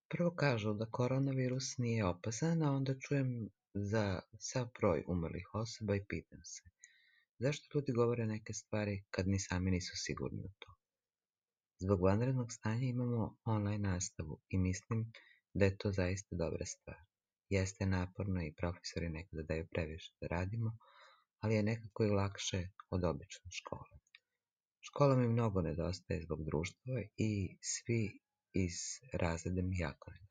Prvo kažu da koronavirus nije opasan, a onda čujem za sav broj umrlih osoba i pitam se zašto ljudi govore neke stvari kad ni sami nisu sigurni u to. Zbog vanrednog stanja imamo online nastavu i mislim da je to zaista dobra stvar. Jeste naporno i profesori nekada daju previše da radimo, ali je nekako i lakše od obične škole. Škola mi mnogo nedostaje zbog društva i svi iz razreda mi jako nedostaju.